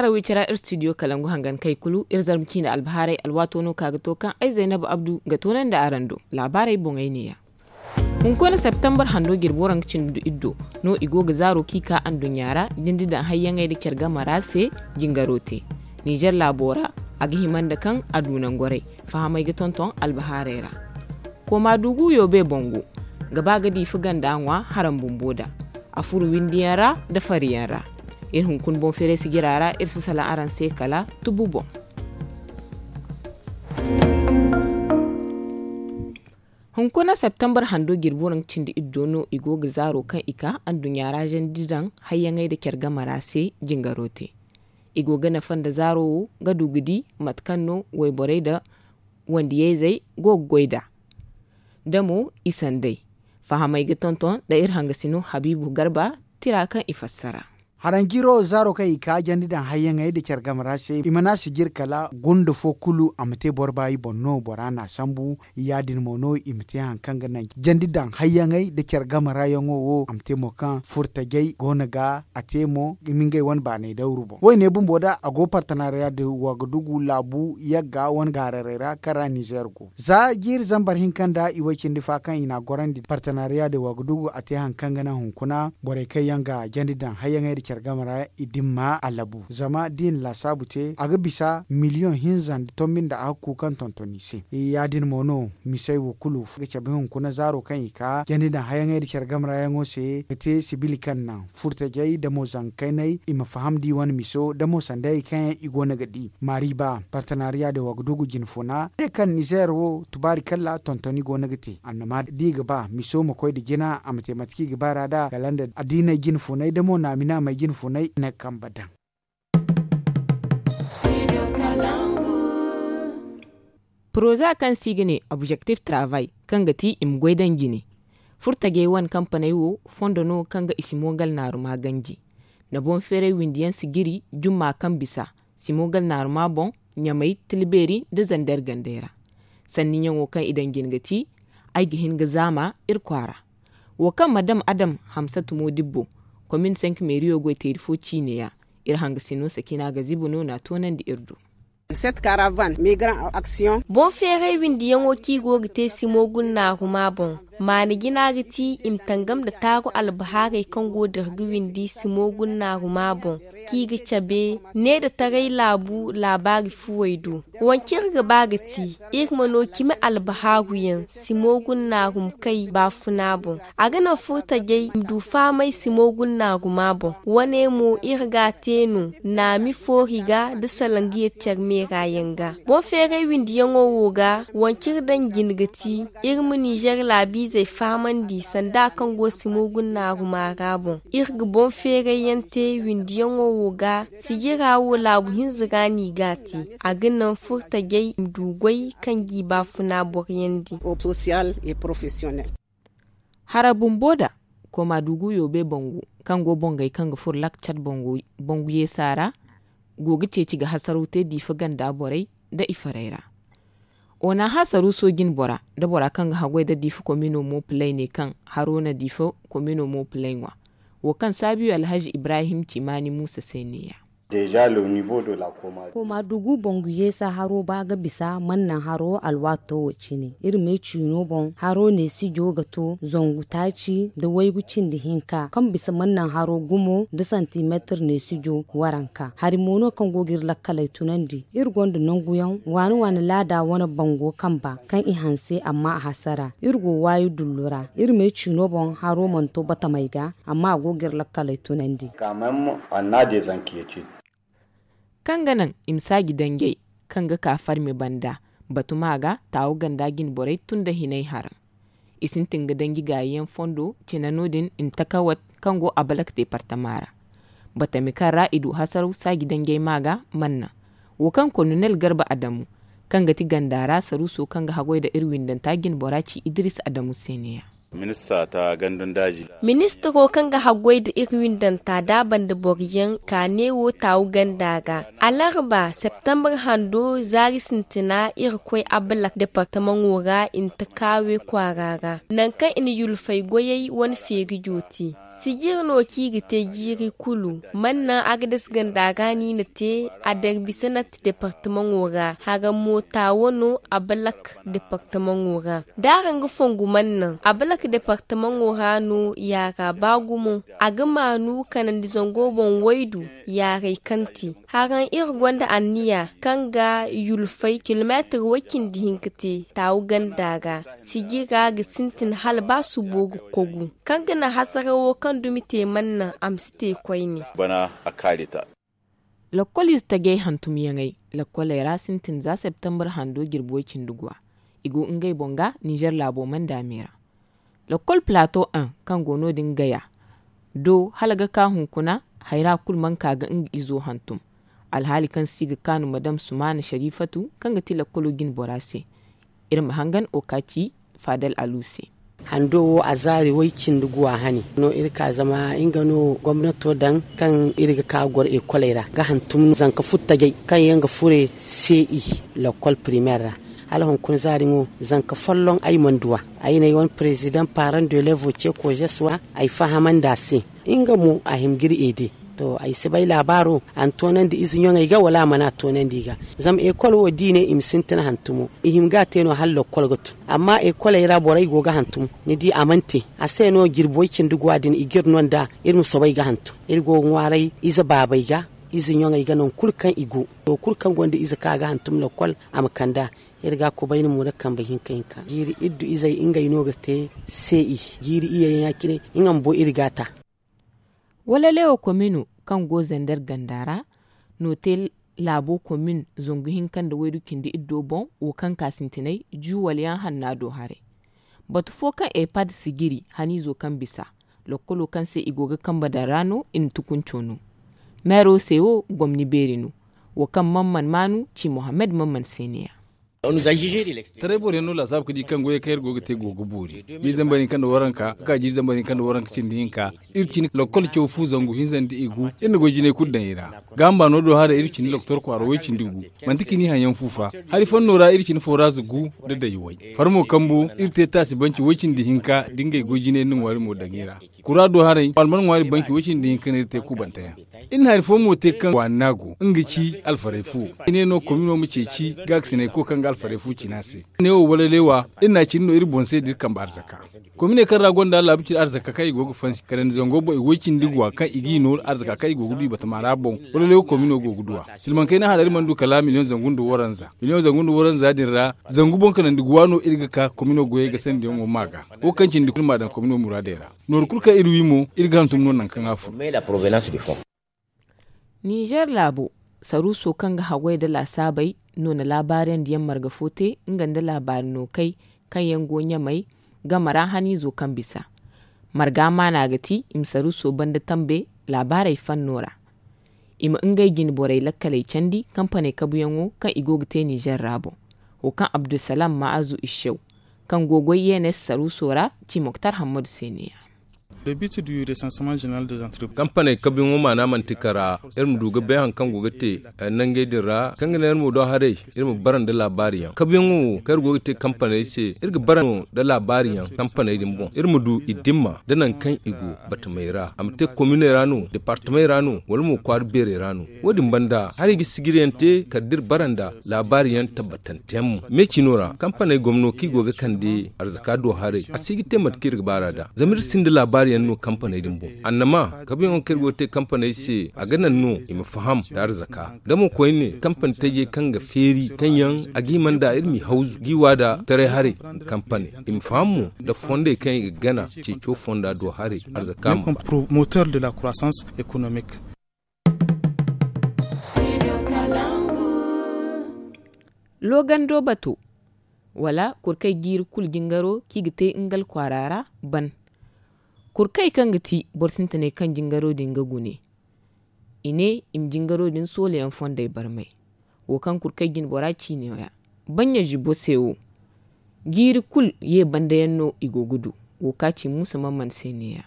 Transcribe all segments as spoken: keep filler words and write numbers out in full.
Wi cara iri studio kalangu hangan kay kulu iri zarma ciine albahaarey alwaato no ka ga to kaŋ ay zaynabu abdu ga toonandi araŋ do. Laabaarey boŋey neeya. Hunkuna septembar hando jirbi waranka cindi du iddo no i go ga zaaro kaŋ i ka anduɲɲa ra jindi daŋ hayyaŋey nda care game ra se. Jingaro te nizer laabo ra. A ga hima nda kaŋ a du nangorey fahamey ga tonton albahaarey ra. Kooma dugu yoobe bango ga ba ga diifa ganda ŋwa haram bumbo da a furo windiyaŋ ra nda fariyaŋ ra. Iri hunkuna boŋ feeray sijira ra iri si salaŋ araŋ se kala tubu boŋ. Hunkuna septembar hando jirbi waranka cindi iddo no i go ga zaaro kaŋ i ka anduɲɲa ra zandi daŋ hayyaŋey nda care game ra se. Jingaro te i go ga nafa nda zaaro wo ga du ga di mate kaŋ no wayborey nda wandiyayzey go ga goy nd'a. Da mo i sanday fahamey ga tonton nda iri hangasino habiibu garba tira kaŋ i fassara. Haranjiro zaaro kaŋ i ka jandi daŋ hayyaŋey nda care game ra se i mana sijir kala gunda fo kulu a ma te boro baayi boŋ no bora n'a sambu. Ya-din mo no i ma te hari kaŋ ga naŋ jandi daŋ hayyaŋey nda care game ra yaŋo wo a ma te mo kaŋ furtajey go no ga a te mo i ma ngey wane baanay dawru boŋ wayne bumbo da a go partenariya da wagadugu laabu yagga wane gaararey ra kaŋ ra nizer go za jiiri zambar hinka nda i way cindi fa kaŋ i n'a gorandi partenariya da wagadugu a te hari kaŋ ga naŋ hunkuna borey kaŋ yaŋ ga jandi daŋ hayyaŋey nda care game ra i dimma a labu zama da i na laasaabu te a ga bisa miliyoŋ hinza nda tombi nda a ga kuukaŋ tonton i se. Ya-din mo no misey wo kulu ga cabe hunkuna zaaro kaŋ i ka jandi daŋ hayyaŋey nda care game ra yaŋo se ga te sibili kaŋ naŋ furtajey da mo zanka kayney i ma faham da i wane miso da mo sandayey kaŋ yaŋ i go no ga di maariba partenariya da wagadugu jinfuna ne kaŋ nizer wo tubaari kalla tontoni go no ga te annama da i ga ba miso ma koy nda jina a ma te mate kaŋ i ga ba ra nd'a kala nda addiiney jinfuney da mo naami naamey jinfuney na kambe daŋ. Poroza kaŋ se i ga ne objektif travay kaŋ ga ti i ma goy daŋ jine furtajey wane kampaney wo fondo no kaŋ ga i simo gal naaruma ganji nda boŋ feeray windi yaŋ si jiri jumma kaŋ bisa simo gal naaruma boŋ ɲamay tilbeeri nda zander gandey ra. Sanniyaŋo kaŋ i daŋ jine ga ti ay ga hin ga zaama iri kwaara wo kaŋ madam adam hamsatu moodibbo komin senk meeriyo goy teeri fo ciine ya. Iri hangasino sakina ga zibu no n'a toonandi iri do. Boŋ feeray windiyaŋo kaŋ i go ga te simo gulnaaruma boŋ maana jina ga ti i ma tangam nda taaru albahaarey kaŋ go dira ga windi simo gulnaaruma boŋ kaŋ i ga cabe ne nda taray laabu laabaari fuwey do. Wance iri ga ba ga ti iri ma no cimi albahaaru yaŋ simo gulnaarumkay baafuna boŋ. A ga naŋ furtajey i ma du fahamay simo gulnaaruma boŋ wane mo iri ga a te no naami foori ga nda salangiya care meera yaŋ ga. Boŋ feeray windiyaŋo wo ga wance iri daŋ jine ga ti iri ma nizer laabiizey fahamandi sanda kaŋ go simo gulnaaruma ra boŋ iri ga boŋ feeray yaŋ te windiyaŋo wo ga sijira wo laabu hinza ra no i ga a te. A ga naŋ furtajey i ma du goy kaŋ g'i baafuna boroyandi. Hara bumbo da kooma dugu yoobe bangu kaŋ go bongey kaŋ ga furo lakcat bangu yeesa ra go ga ceeci ga hasaraw te diifa ganda borey nda i farey ra. Onaha saruuso jine bora nda bora kaŋ ga haggoy nda diifa komino mo pilay ne kaŋ haro na diifa komino mo pilay ŋwa. Wo kaŋ saabiyo alhazi ibrahim cimaani muusa se neeya. Kooma dugu bangu yeesa haro ba ga bisa mannaŋ haro alwaato wo cine iri me ciino boŋ haro neesijo ga to zangu taaci nda waygu cindi hinka kaŋ bisa mannaŋ haro gumo nda santimeetir neesijo waranka hari mo no kaŋ go ga iri lakkaley tunandi. Iri gonda nanguyaŋ waani waani laada wane bango kamba kaŋ i hanse amma a hasara iri go waayi dullu ra. Iri me ciino boŋ haro mana to batamey ga amma a go ga iri lakkaley tunandi. Kaŋ ga naŋ i ma saaji danjey kaŋ ga ka farme banda batuma ga taawo ganda jine borey tun nda hinay haraŋ. I sintin ga danji gaayiyaŋ fondo cina no- din intakawat kaŋ go abalak deepartama ra. Batami kaŋ ra i du hasaraw saaji danjey ma ga manna wo kaŋ kolonel garba adamu kaŋ ga ti ganda ra saruuso kaŋ ga haggoy nda iri windanta jine bora ci idiris adamu se neeya. Ministiro kaŋ ga haggoy nda iri windanta da a banda boro yaŋ ka neewo taawu ganda ra alarba septembar hando zaari sintina iri koy abalak departamaŋo ra i na ta kaawe kwaara ra nangu kaŋ i na yulfay goyey wane feeri jooti. Sijir no kaŋ i ga te jiiri kulu mana naŋ agades ganda ra no i na te a darbi sanat departamaŋo ra haraŋ mo taawo no abalak departamaŋo ra da araŋ ga fongu mana naŋ abalak departamaŋo ra no yaara ba gumo a ga maanu kanandi zango boŋ waydu yaaray kaŋ te haraŋ iri gonda anniya kaŋ ga yulfay kilomeetir way cindi hinka te taawu ganda ra sijira ga sintin hala ba subo ga kogu kaŋ ga naŋ hasarawo kaŋ dumi te mana naŋ a ma si te koyne. Bana a kaari ta. Lakkol ize tajey hantumyaŋey lakkoley ra sintin za septembar hando jirbi way cindi guwa i go ngey boŋ ga ninzeer laabo manda me ra. Lakkol plato un kaŋ go no- din gaya do hala ga ka hunkuna hayra kulu mana ka ga nga izo hantum. Alhaali kaŋ se i ga kaanu madam sumaana sharifatu kaŋ ga ti lakkolo jinbora se. Iri ma hangan okaci faadal alu se. Hando wo a zaari way cindi guwa hane no iri ka zama nga no gomnato daŋ kaŋ iri ga ka ga goro ekoley ra ga hantum zanka futtajey kaŋ yaŋ ga fure se i lakkol primeer ra. Hala hunkuna zaari ŋo zanka folloŋ ay mana du a. Ay ne ay wane parezidaŋ paaraŋ de levo ce koozes wa ay fahamandi a se. Nga mo a hima ga iri eede. To ay si bay laabaaro a na toonandi ize ɲoŋey ga wala a mana toonandi i ga. Zama ekol wo da i ne i ma sintin hantumo i hima ga a te no hala lakkol ga tun. Amma ekoley ra borey go ga hantum ni di a mana te. A se no jirbi way cindi guwa din i ga iri no nd'a iri ma soobay ga hantum. Iri go ga ŋwaaray ize baabey ga ize ɲoŋey ga nangu kulu kaŋ i go. To kulu kaŋ gonda ize kaŋ a ga hantum lakkol a ma kand'a. Iri ga a kubayni mo nda kambe hinka hinka jiiri iri du izey ngey no ga te se i jiiri iyey ya- cine. Nga bumbo iri ga a ta. Walalewo komino kaŋ go zander ganda ra no te laabo komin zangu hinka nda waydu cindi iddo boŋ wo kaŋ ka sintinay juwal yaŋ hanna do haray. Batu fo kaŋ epad si jiri haniizo kaŋ bisa lakkolo kaŋ se i go ga kambe daŋ ra no i na tukunco no. Meero se wo gomni beeri no. Wo kaŋ man man maanu ci mohammed man man se ne- ya. Taray boro yaŋ no laasaabu ga di kaŋ goyey kaŋ iri go ga te go ga boori. Jiiri zambar hinka nda waranka ga ka jiiri zambar hinka nda waranka cindi hinka. Iri cine lakkol caw fu zangu hinza nda i gu iri na goy jinay kulu daŋ i ra. Gaaham baano do haray iri cindi doktor kwaaro way cindi gu. Manti cini haŋ yaŋ fu fa hari fanno ra iri cine fooraaz gu nda dayway. Farmo kambu iri te taasi banci way cindi hinka da ngey goy jinay nda ŋwaari mo daŋ i ra. Kura do haray alman ŋwaari banci way cindi hinka no iri te kubante yaŋ. Iri na hari fo mo te kaŋ waani no a go nga ci alfaray fu. Iri ne no komino ma ceeci gaakasinay ko kaŋ ga alfaray fu cina se. Ne wo wala leewa iri na a cine no iri boŋ se da iri kambe arzaka. Komine kaŋ ra gonda laabu cine arzaka kaŋ i go ga fansi kala nda zango boŋ i way cindi guwa kaŋ i g'i nooru arzaka kaŋ i go ga du i batama ra boŋ. Wala leewa komino go ga du a silmaŋ kayna hara iri mana du kala miliyoŋ zangu nda waranza miliyoŋ zangu nda waranza din ra. Zangu boŋ kala nda guwa no iri ga ka komino goyey ga sandiyaŋo ma ga wo kaŋ cindi kulu ma daŋ komino muraadey ra. Nooru kulu kaŋ iri wi mo iri ga hantum no nangu kaŋ a fun. Ninzeer laabo saruuso kaŋ ga haggoy nda laasaabey no na laabaariyandiyaŋ marga fo te nga nda laabaari nookey kaŋ yaŋ go ɲamey game ra haniizo kaŋ bisa. Marga maana ga ti i ma saruuso banda tambe laabaarey fanno ra. I ma ngey jine borey lakkaley candi kampaney kabuyaŋo kaŋ i go ga te ninzeer ra boŋ. Wo kaŋ abdulsalaam ma'azu issew kaŋ go goy yenes saruuso ra ci moktar hammadu se ne- ya. Kampaney kabuyaŋo maana manti kara iri ma du ga bay hari kaŋ go ga te nangey din ra kaŋ ga naŋ iri ma do haray iri ma bara nda laabaari yaŋ kabuyaŋo wo kaŋ iri go ga te kampaney se iri ga bara no nda laabaari yaŋ kampaney din boŋ iri ma du i dimma nda nangu kaŋ i go batamey ra a ma te kominey ra no departamey ra no wala mo kwaara beerey ra no. Wo- din banda haray ga sijiriyaŋ te kala da iri bara nda laabaari yaŋ tabbatante yaŋ mo me cino ra kampaney gomno kaŋ i go ga kande arzaka do haray a si ga te mate kaŋ iri ga baar'a nd'a zama iri sinda laabaari yaŋ no kampaney din boŋ annama kabuyaŋo kaŋ iri go ga te kampaney se a ga naŋ no i ma faham nda arzaka da mo koyne kampani tajey kaŋ ga feeri kaŋ yaŋ a ga hima nd'a iri m'i hawzu g'i waada taray haray nda kampani i ma faham mo nda fondey kaŋ i ga gana ceeco fonda do haray arzaka ma. Loogando bato wala kurkey jiiri kulu jingaro kaŋ i ga te ngal kwaara ra ban. Kurkey kaŋ ga ti boro sintiney kaŋ jingaro din ga gune i ne i ma jingaro din soolayaŋ fondey barmay. Wo kaŋ kurkey jinbora ciino ya banɲa zibo se wo jiiri kulu ye banda yaŋ no i go ga du. Wo ka ci muusa mamman se ne-ya.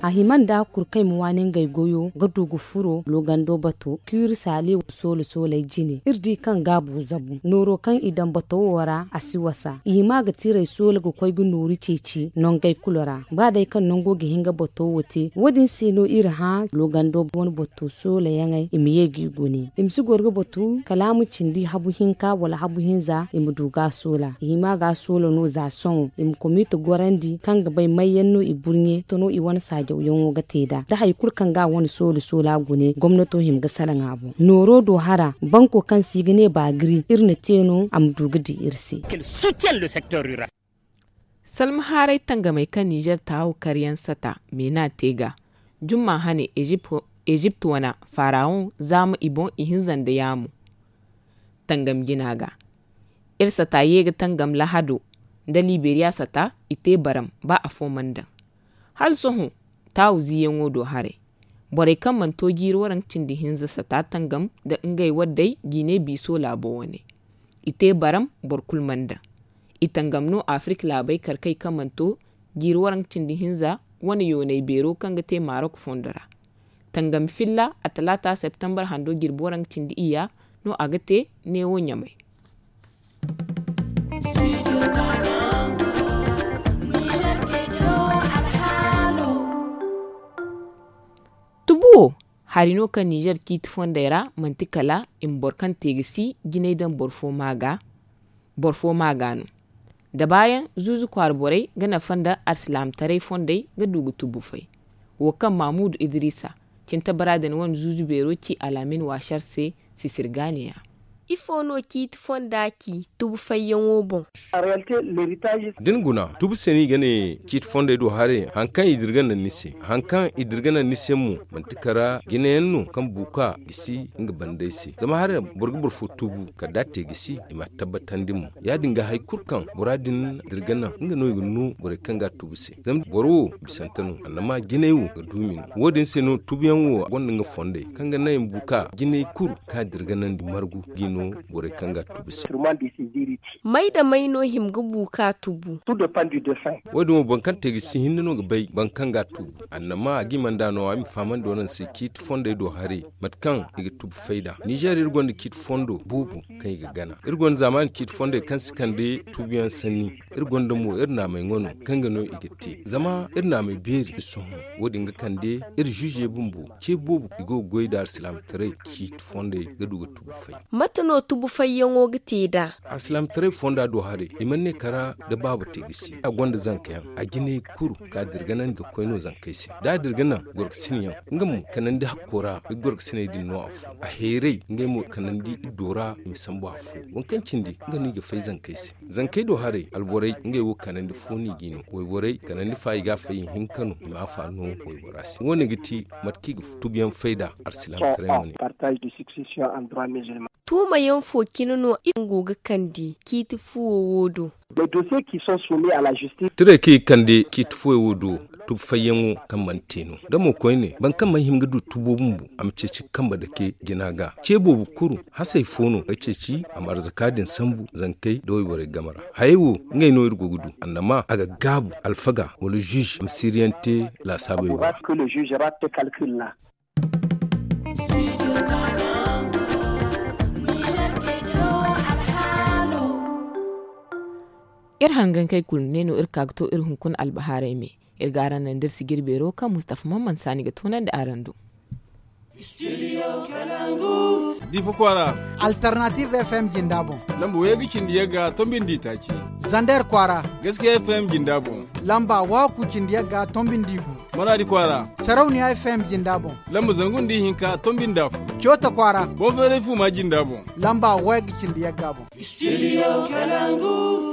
A hima nda kulu kaŋ i ma waani ngey goyo ga du ga furo loogando bato kiiri saali soola sooley jine iri di kaŋ gaabu zabu nooro kaŋ i daŋ bato wo ra a si wasa i hima ga tiray soola ga koy ga nooru ceeci nongey kulu ra. Ba day kaŋ nango ga hin ga bato wo te wo- din se no iri hã loogando wane bato soola yaŋey i ma ye ga i gune i ma si goro ga batu kala a ma cindi habu hinka wala habu hinza i ma du ga a soola i hima ga a soola no za sohõ i ma komiiti gorandi kaŋ ga bay may yaŋ no i burɲe tano i wane saajawyaŋo ga te nd'a da hari kulu kaŋ ga a wane soola soola gune gomnato hima ga salaŋ a boŋ nooro do hara banko kaŋ se i ga ne baagiri iri na te no a ma du ga di iri se. Salma haaray tangamey kaŋ nizer taawu karyaŋ sata meena te ga jumma hane ezipt wana farawon zaama i boŋ ihinza nda yaamu tangam jina ga iri sata ye ga tangam lahado nda liberiya sata i te baram ba afo mana daŋ hala sohõ taawu ziiyaŋo do haray borey kaŋ mana to jiiri waranka cindi hinza sata tangam nda ngey waddey jine biiso laabo wane i te baram boro kulu mana daŋ i tangam no afirik laabey karkey kaŋ mana to jiiri waranka cindi hinza wane yoonay beero kaŋ ga te marok fondo ra tangam filla a talaata septembar hando jirbi waranka cindi iyya no a ga te neewo ɲamay tubu wo hari no kaŋ nizer ciiti fondey ra manti kala i ma boro kaŋ te ga si jinay daŋ boro fo ma ga no da baayaŋ zuuzu kwaara borey ga nafa nda alsilaamataray fondey ga du ga tubu fay wo kaŋ mamuudu idiriisa cintabara din wane zuuzu beero ci alaamin waasar se sisirgaaniya ifo no ciiti fonda ci tubu fayyaŋo boŋ da ni guna tubu se no i ga ne ciiti fondey do haray hari kaŋ i dirga naŋ ni se hari kaŋ i dirga naŋ ni se mo manti kara jinayaŋ no kaŋ buuka gisi nga bandey se zama haray boro ga boro fo tubu kala da a te gisi i ma a tabbatandi mo ya- din ga hari kulu kaŋ bora din dirga naŋ nga no i ga no borey kaŋ ga a tubu se zama boro wo bisante no annama jinay wo ga duumi no wo- din se no tubuyaŋ wo gonda nga fondey kaŋ ga naŋ i ma buuka jinay kulu kaŋ a dirga naŋ di margu ga i no borey kaŋ ga a tubu se may da may no hima ga buuka tubu wo- din wo boro kaŋ te ga si hinne no ga bay boro kaŋ ga a tubu annama a ga i mana da no a ma i fahamandi wane se ciiti fondey do haray mate kaŋ i ga tubu fayda nizer iri gonda ciiti fondo boobo kaŋ i ga gana iri gonda zaamaani ciiti fondey kaŋ si kande tubuyaŋ sanni iri gonda mo iri naamey ŋwa no kaŋ ga no i ga te zama iri naamey beeri i sohõ wo- din ga kande iri zuuze bumbo ce boobo i go ga goy nda alsilaamataray ciiti fondey ga du ga tubu fay mate no tubu fayyaŋo ga te nd'a alsilaamataray fonda do haray i mana ne kara da baaba te ga si a gonda zankayaŋ a jinay kulu ka dirga naŋ ga koy no zankey se da a dirga naŋ gorkasinyaŋ nga mo kanandi hakko ra i gorkasiney din no afo a heeray ngey mo kanandi iddo ra i ma sambu afo waŋ kaŋ cindi nga no i ga fay zankey se zankey do haray alborey ngey wo kanandi fo no i g'i no wayborey kanandi fa i ga a fay ihinka no i ma a fa no waybora se wo- ne ga ti mate kaŋ i ga tubuyaŋ fayda arsilaamataray wane tuumayaŋ fo cine no i go ga kande ciiti fuwo wo do tiray kaŋ i ga kande ciiti fuwo wo do tubu fayyaŋo kaŋ mana te no da mo koyne boro kaŋ mana hima ga du tubo bumbo a ma ceeci ga kambe dake jina ga ce boobo kulu hasey fo no ga ceeci a ma arzaka din sambu zankey nda wayborey game ra hayey wo ngey no iri go ga du annama a ga gaabu alfaga wala zuuze a ma siiriyaŋ te laasaabey wo ra iri hangankey kulu ne no iri ka ga to iri hunkuna albahaarey me iri ga araŋ naŋ da iri sijiri beero kaŋ mustafa mamman saani ga toonandi araŋ do difa kwaara alternative fm jinda boŋ lamba wayga cindi yagga tombindi taaci zander kwaara gaskiya fm jinda boŋ lamba waaku cindi yagga tombindi gu maraadi kwaara sarauniya fm jinda boŋ lamba zangu nda ihinka tombindi afo coota kwaara boŋ feeray fuuma jinda boŋ lamba wayga cindi yagga boŋ studio kalangu